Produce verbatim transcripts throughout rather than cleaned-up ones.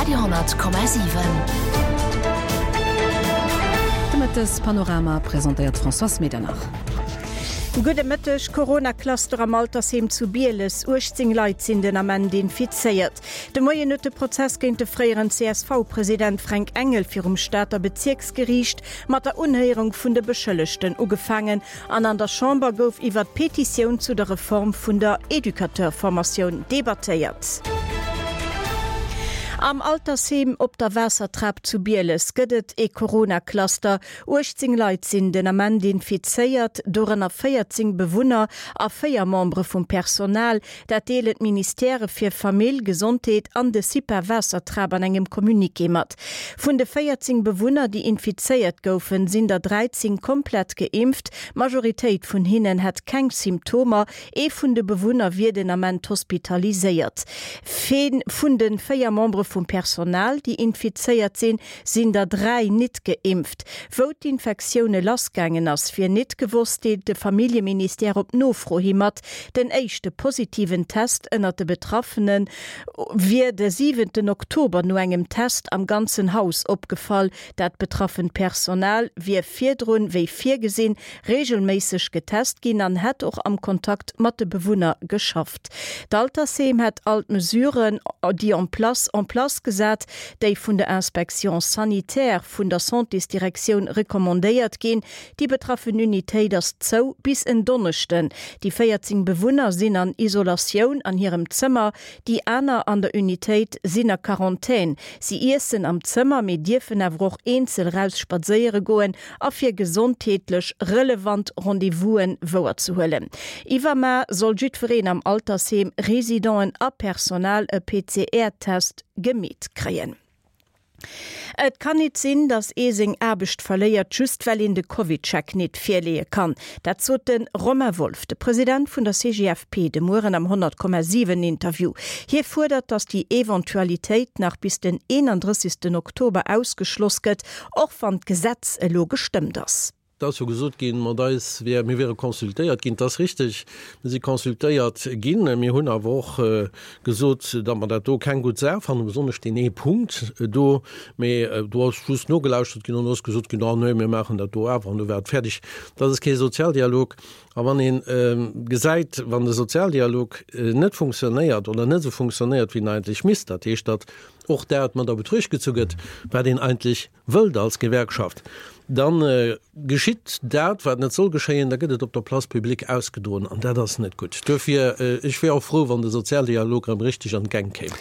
Radio honnert Komma siwen. De Mëttespanorama presentéiert d'Françoise Medernach. Gudde Mëtteg, Corona-Cluster am Altersheem zu Bieles, uechtzéng Leit sinn den Ament infizéiert. De Moien huet de Prozess géint de fréieren C S V-President Fränk Engel virum Stater Bezierksgeriicht mat der Unhéierung vun de Beschëllegten ugefaangen an an der Chamber gouf iwwer d'Petitioun zu der Reform vun der Educateur-Formatioun debattéiert. Am Altersheem op der Waassertrap zu Bieles gëtt et ee Corona-Cluster. uechtzéng Leit sinn den Ament infizéiert, dorënner véierzéng Bewunner a véier Membere vum Personal. Dat deelen d'Ministèrë fir Famill, Gesondheet an de CIPA Waassertrap an engem Communiqué mat. Vun de véierzéng Bewunner, déi infizéiert goufen, sinn der dräizéng komplett geimpft. D'Majoritéit vun hinnen hätt keng Symptomer. Ee vun de Bewunner wier den Ament hospitaliséiert. Vun de véier Membere vum Personal, déi infizéiert sinn, sinn der dräi nit geimpft. Wou d'Infektioune lassgaangen ass, wier nit gewosst, deelt de Familljeministère op Nofro hi mat. Den éischte positiven Test ënnert de Betraffene wier de siwenten Oktober no engem Test am ganzen Haus opgefall. Dat betraffent Personal wier virdrun, wéi virgesinn, reegelméisseg getest ginn an hätt och am Kontakt mat de Bewunner geschafft. D'Altersheem hätt all d'Mesuren, déi en place en place gesat, déi vun der Inspection sanitaire vun der Santésdirektioun recommandéiert ginn. Déi betraffen Unitéit ass zou bis en Donneschden. Déi véierzéng Bewunner sinn an Isolatioun an hirem Zëmmer, déi aner an der Unitéit sinn a Quarantän. Si iessen am Zëmmer, mee dierfen awer och eenzel raus spadséiere goen a fir gesondheetlech relevant Rendez-vousen wouerzehuelen. Iwwermar soll jiddwereen am Altersheem, Residenten a Personal, e P C R-Test gemeet kréien. Et kann nit sinn, datt ee seng Aarbecht verléiert, just well een de CovidCheck nit virleeë kann. Dat sot de Romain Wolff, de President vun der C G F P, de Mueren am honnert Komma siwen Interview. Hie fuerdert, datt déi Eventualitéit nach bis den eenandrëssegsten Oktober ausgeschloss gëtt, och wann d'Gesetz elo gestëmmt ass. Et ass jo gesot ginn, mat eis wär, mir wiere consultéiert ginn. Dat ass richteg, mir si consultéiert ginn. Mir hunn awer och gesot, datt mer dat do keng gutt Saach fannen, besonnesch deen ee Punkt do. Mee do ass just nogelauschtert ginn an do ass gesot ginn, Ah nee, mir maachen dat do awer an du war et fäerdeg. Dat ass kee Sozialdialog. A wann ee gesäit, wann de Sozialdialog net funktionéiert oder net esou funktionéiert, wéi en eigentlech misst, dat heescht, datt och dat mat a Betruecht gezu gëtt, wat een eigentlech wëllt als Gewerkschaft, da geschitt dat, wat net soll geschéien, da gëtt et op der Place publique ausgedroen an dat ass net gutt. Duerfir, ech wier och frou, wann de Sozialdialog erëm richteg an d'Gäng kéim.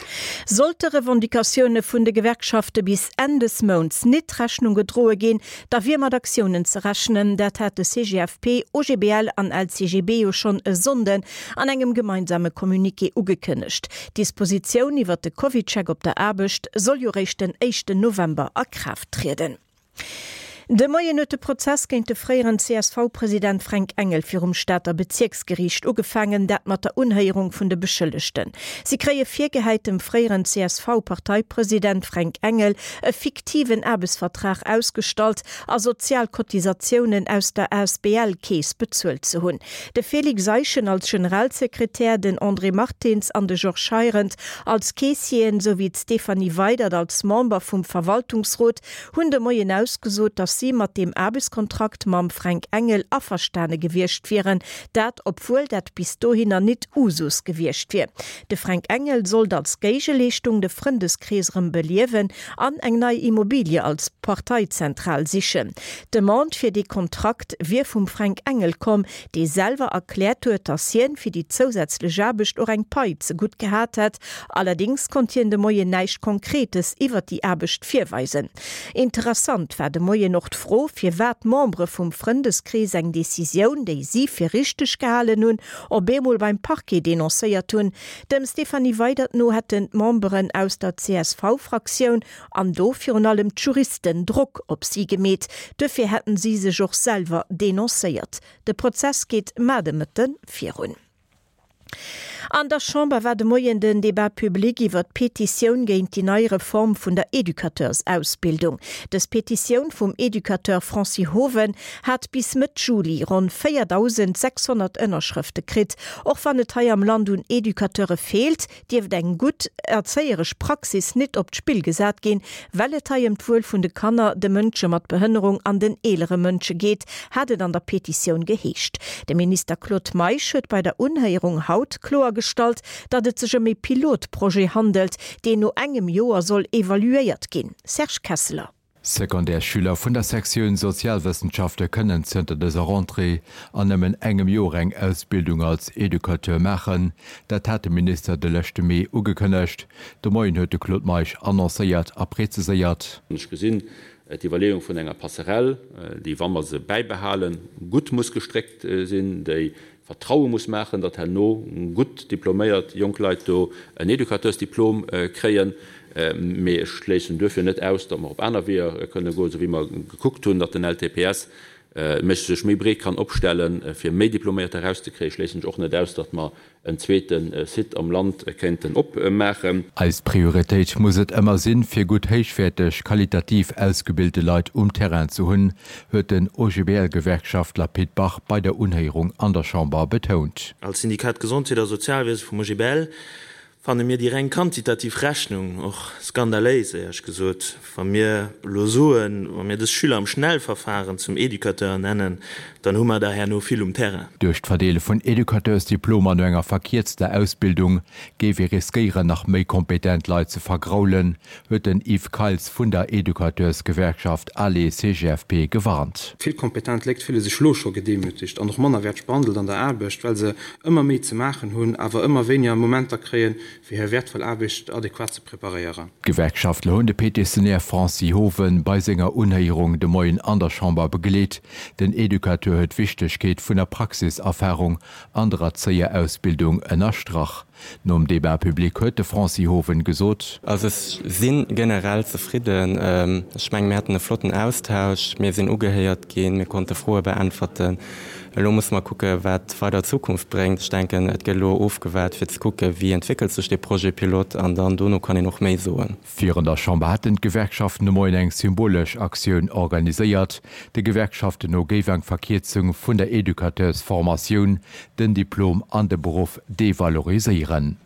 Sollte Revendicatioune vun de Gewerkschafte bis Enn des Mounts nit Rechnung gedroe ginn, da wier mat Aktiounen ze rechnen. Dat hat de C G F P, O G B L an L C G B jo schonn e Sonnden an engem gemeinsame Communiqué ugekënnegt. D'Dispositioun iwwert de CovidCheck op der Aarbecht soll jo réischt den éischten November a Kraaft trieden. De Moien huet de Prozess géint de fréieren C S V-President Fränk Engel virum Stater Bezierksgeriicht ugefaangen, dat mat der Unhéierung vun de Beschëllegten. Si kréie virgehäit, dem fréieren C S V-Parteipresident Fränk Engel e fiktiven Aarbechtsvertrag ausgestallt a sozial Cotisatiounen aus der A S B L-Keess bezuelt ze hunn. De Félix Eischen als Generalsekretär, den André Martins an de Georges Heirendt als Keessieren souwéi d'Stéphanie Weydert als Member vum Verwaltungsrot hunn de Moien ausgesot, datt si mat deem Aarbechtskontrakt mam Fränk Engel averstane gewiescht wieren, dat obwuel dat bis dohinner nit Usus gewiescht wier. De Fränk Engel sollt als Géigeleeschtung de Frëndeskrees erëm beliewen an eng nei Immobilie als Parteizentral sichen. D'Demande fir dee Kontrakt wier vum Fränk Engel komm, dee selwer erkläert huet, datt hien fir déi zousätzlech Aarbecht och eng Pai zegutt gehat hätt. Allerdéngs konnt hien de Moien näischt Konkretes iwwer déi Aarbecht virweisen. Interessant war de Moien och d'Fro, firwat d'Membere vum Frëndeskrees eng Decisioun, déi si fir richteg gehalen hunn, op eemol beim Parquet denoncéiert hunn. Dem Stéphanie Weydert no hätten d'Memberen aus der C S V-Fraktioun an do virun allem d'Juristen Drock op si gemeet, duerfir hätten si sech och selwer denoncéiert. De Prozess geet mar de Mëtte virun. An der Chamber war de Moien den Debat public iwwer d'Petitioun géint déi nei Reform vun der Educateursausbildung. Dës Petitioun vum Educateur Francis Hoven hat bis Mëtt Juli ronn véierdausend sechshonnert Ënnerschrëfte kritt. Och wann et hei am Land un Educateure feelt, dierft eng gutt erzéieresch Praxis nit op d'Spill gesat ginn, well et hei ëm d'Wuel vun de Kanner, de Mënsche mat Behënnerung an den eelere Mënsche geet, hat et an der Petitioun geheescht. De Minister Claude Meisch huet bei der Unhéierung haut kloergestallt, datt et sech ëm e Pilotprojet handelt, deen no engem Joer soll evaluéiert ginn. Serge Kesseler. Secondaires-Schüler vun der Sektioun Sozialwëssenschafte kënnen zënter dëser Rentrée an nëmmen engem Joer eng Ausbildung als Educateur maachen. Dat hat de Minister de leschte Mee ugekënnegt. De Moien huet de Claude Meisch annoncéiert a preziséiert. Ech gesinn d'Iwwerleeung vun enger Passerelle, déi, wa mer se bäibehalen, gutt muss gestréckt sinn, déi Vertraue muss maachen, datt herno gutt diploméiert jonk Leit do en Educateursdiplom kréien. Mee ech schléissen duerfir net aus, datt mer op aner Weeër kënne goen, esou wéi mer gekuckt hunn, datt den L T P S méch sech méi breet kann opstellen, fir méi Diploméierter erauszekréien, schléissen ech och net aus, datt mer en zweete Site am Land kéinten opmaachen. Eis Prioritéit muss et ëmmer sinn, fir gutt héichwäerteg qualitativ ausgebilte Leit um Terrain ze hunn, huet den O G B L-Gewerkschaftler Pit Bach bei der Unhéierung an der Chamber betount. Als Syndikat Gesondheet a Sozialwiese vum O G B L fanne mir déi reng quantitativ Rechnung och skandaléis, éierlech gesot. Wa mir elo soen, wa mir dës Schüler am Schnellverfahren zum Educateur ernennen, dann hu mer der herno vill um Terrain. Duerch d'Verdeele vun Educateursdiplomer no enger verkierzter Ausbildung géif ee riskéieren, nach méi kompetent Leit ze vergraulen, huet den Yves Keils vun der Educateursgewerkschaft ALE-C G F P gewarnt. Vill kompetent Leit fille sech lo scho gedemütigt an och mannerwäerteg behandelt an der Aarbecht, well se ëmmer méi ze maachen hunn, awer ëmmer wéiniger Momenter kréien, fir hir wäertvoll Aarbecht adequat ze preparéieren. D'Gewerkschaftler hunn de Petitionär Francis Hoven bei senger Unhéierung de Moien an der Chamber begleet. Den Educateur huet d'Wichtegkeet vun der Praxiserfarung an der Erzéierausbildung ënnerstrach. Nom Debat public huet de Francis Hoven gesot: Also ech si generell zefridden. Ech menge mir haten e flotten Austausch, mir sinn ugehéiert ginn, mir konnte Froe beäntwerten. Elo musse mer kucken, wat weider Zukunft bréngt. Ech denken, et gëtt elo ofgewaart fir ze kucken, wéi entwéckelt sech de Projet pilote an dann dono kann een och méi soen. Virun der Chamber haten d'Gewerkschaften de Moien eng symbolesch Aktioun organiséiert. De Gewerkschaften no géif eng Verkierzung vun der Educateursformatioun den Diplom an de Beruff devaloriséieren.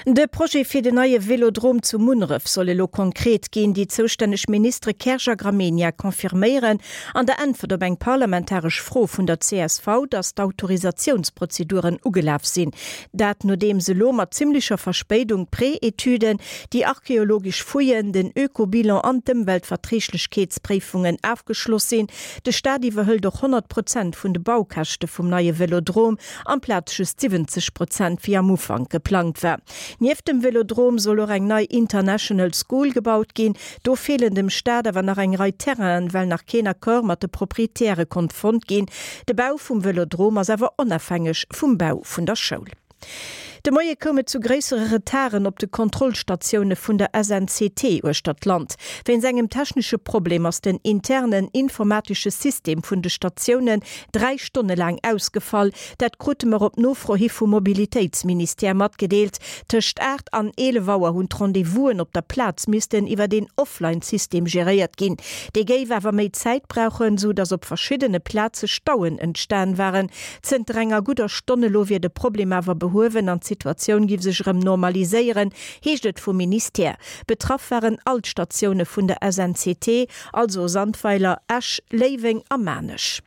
De Projet fir den neie Velodrom zu Munneref soll elo konkret ginn. Déi zoustänneg Ministere Kersch a Gramegna confirméieren an der Äntwert op eng parlamentaresch Fro vun der C S V, datt d'Autorisatiounsprozeduren ugelaf sinn. Dat nodeems elo mat zimmlecher Verspéidung Pré-Etüden, déi archeologesch Fouillen, den Ökobilan an d'Ëmweltverträglechkeetspréifungen ofgeschloss sinn. De Staat iwwerhëlt och honnert Prozent vun de Baukäschte vum neie Velodrom, amplaz just siwwenzeg Prozent wéi am Ufank geplangt war. Nieft dem Velodrom soll och eng nei International School gebaut ginn. Do feelen dem Staat awer nach eng Rei Terrainen, well nach keen Accord mat de Proprietäre konnt fonnt ginn. De Bau vum Velodrom ass awer onofhängeg vum Bau vun der Schoul. De Moie koum et zu gréissere Retarden op de Kontrollstatioune vun der S N C T uechter d'Land. Wéinst engem technesche Problem ass den internen informatesche System vun de Statiounen dräi Stonne laang ausgefall. Dat krute mer op Nofro hi vum Mobilitéitsministère matgedeelt. Tëscht aacht an eelef Auer hunn d'Rendez-vousen op der Plaz missten iwwer den Offline-System geréiert ginn. Dee géif awer méi Zäit brauchen, sou datt op verschiddene Plaze Stauen entstanen waren. Zënter enger gudder Stonn elo wier de Problem awer behuewen an d'Situatioun géif sech erëm normaliséieren, heescht et vum Ministère. Betraff waren all d'Statioune vun der S N C T, also Sandweiler, Esch, Léiweng a Maarnech.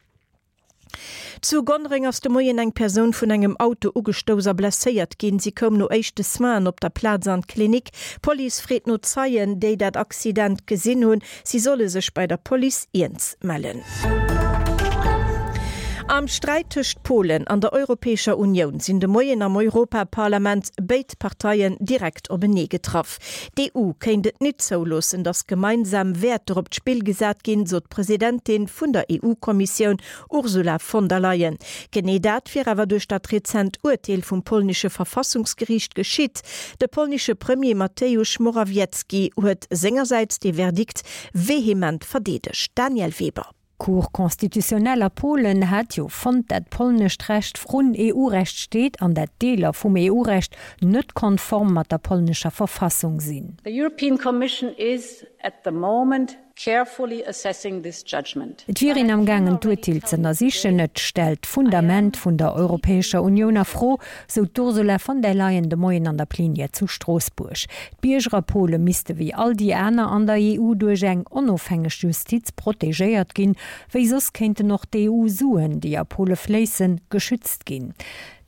Zu Gonnereng ass de Moien eng Persoun vun engem Auto ugestouss a blesséiert ginn. Si koum no éischte Soinen op der Plaz an d'Klinik. D'Police freet no Zeien, déi dat Accident gesinn hunn. Si solle sech bei der Police eens mellen. Am Sträit tëscht Polen an der Europäescher Unioun sinn de Moien am Europaparlament béid Parteien direkt openee getraff. D'E U kéint et net zouloossen, datt gemeinsam Wäerter op d'Spill gesat ginn, sot d'Presidentin vun der E U-Kommissioun Ursula von der Leyen. Genee dat wier awer duerch dat rezent Urteel vum polnesche Verfassungsgeriicht geschitt. De polnesche Premier Mateusz Morawiecki huet sengersäits de Verdikt vehement verdeedegt. Daniel Weber. D'Cour constitutionnelle a Polen hat jo fonnt, dat polnescht Recht vrun EU-Recht steet an dat Deeler vum EU-Recht net konform mat der polnescher Verfassung sinn. The European Commission is at the moment carefully assessing this judgment. Et wier een am gaangen d'Urteel z'ënnersichen. Et stellt d'Fundament vun der Europäescher Unioun a Fro, sou d'Ursula von der Leyen de Moien an der Plenière zu Stroossbuerg. D'Bierger a Pole misste wéi all déi aner an der E U duerch eng onofhängeg Justiz protegéiert ginn, wéi soss kéinten och d'E U-Suen, déi a Pole fléissen, geschützt ginn.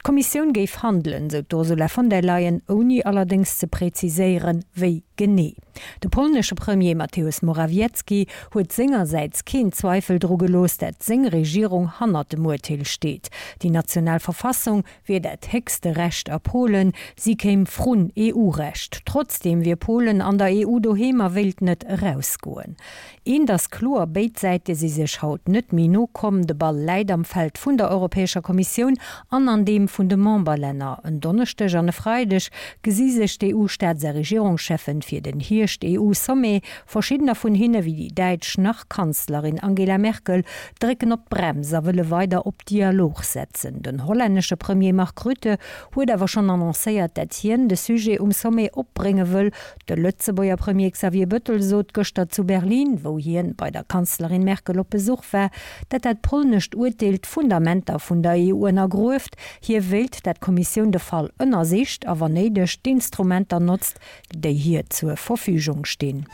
D'Kommissioun géif handelen, sou d'Ursula von der Leyen, ouni allerdéngs ze präziséieren, wéi genee. De polnesche Premier Mateusz Morawiecki huet sengersäits keen Zweifel dru gelooss, dat seng Regierung hannert dem Urteel steet. Déi national Verfassung wier dat héchste Recht a Polen, si kéim vrun E U-Recht. Trotzdeem wier Polen an der E U doheem a wéilt net erausgoen. Eent ass kloer, béid Säite si sech haut net méi no komm. De Ball läit am Feld vun der Europäescher Kommissioun an an deem vun de Memberlänner. En Donneschdeg an e Freideg gesi sech d'E U-Staats a Regierungscheffen fir den Hierscht-E U-Sommet. Verschiddener vun hinne, wéi déi däitsch Nach-Kanzlerin Angela Merkel, drécken op d'Brems a wëlle weider op Dialog setzen. Den hollännesche Premier Mark Rutte huet awer schonn annoncéiert, dat hien de Sujet um Sommet opbrénge wëll. De Lëtzebuerger Premier Xavier Bettel sot gëschter zu Berlin, wou hien bei der Kanzlerin Merkel op Besuch war, dat dat polnescht Urteel d'Fundamenter vun der E U ënnergrueft. Hie wéilt, dat d'Kommissioun de Fall ënnersicht a wann néideg d'Instrumenter notzt, déi hir zur Verfügung stinn.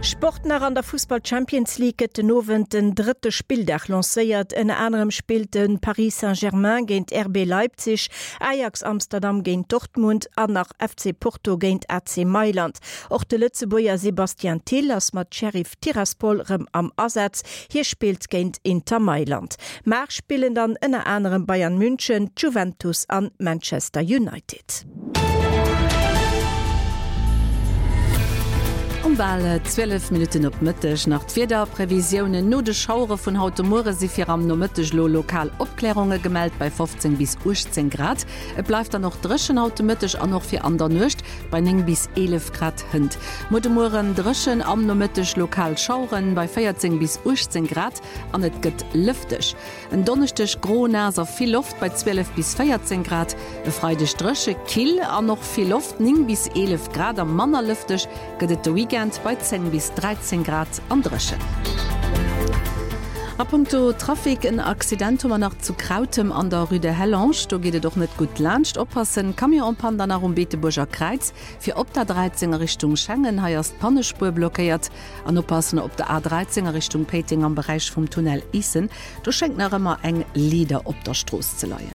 Sport nach. An der Fussball Champions League gëtt den Owend den drëtte Spilldag lancéiert. Ënner anerem spillt de Paris Saint-Germain géint R B Leipzig, Ajax Amsterdam géint Dortmund an nach F C Porto géint A C Mailand. Och de Lëtzebuerger Sébastien Thill ass mat Sheriff Tiraspol rëm am Asaz. Hie spillt géint Inter Mailand. Mar spillen dann ënner anerem Bayern München, Juventus an Manchester United. Um bal zwielef Minutten op Mëtteg nach d'Wiederprevisiounen. No de Schauere vun haut de Muere si fir am Nomëtteg lo lokal Opklärunge gemellt bei fofzéng bis uechtzéng Grad. Et bleift dann och dréchen haut de Mëtteg an och fir an der Nuecht bei néng bis eelef Grad hënt. Muer de Mueren dréchen, am Nomëtteg lokal Schaueren bei véierzéng bis uechtzéng Grad an et gëtt lëfteg. En Donneschdeg gro, naass a vill Loft bei zwielef bis véierzéng Grad. E Freideg dréche, kill an och vill Loft, néng bis eelef Grad a manner lëfteg gëtt et de Weekend bei zéng bis dräizéng Grad an dréchen. A punkto Trafic, en Accident hu mer nach zu Krautem an der Rue de Hellange. Do geet et och net gutt laanscht, oppassen. Camion en panne dann nach um Beetebuerger Kräiz fir op der dräizéng a Richtung Schengen. Hei ass d'Pannespuer blockéiert. An oppassen op der A dräizéng a Richtung Péiteng am Beräich vum Tunnel Issen. Do schéngt nach ëmmer eng Leeder op der Strooss ze leien.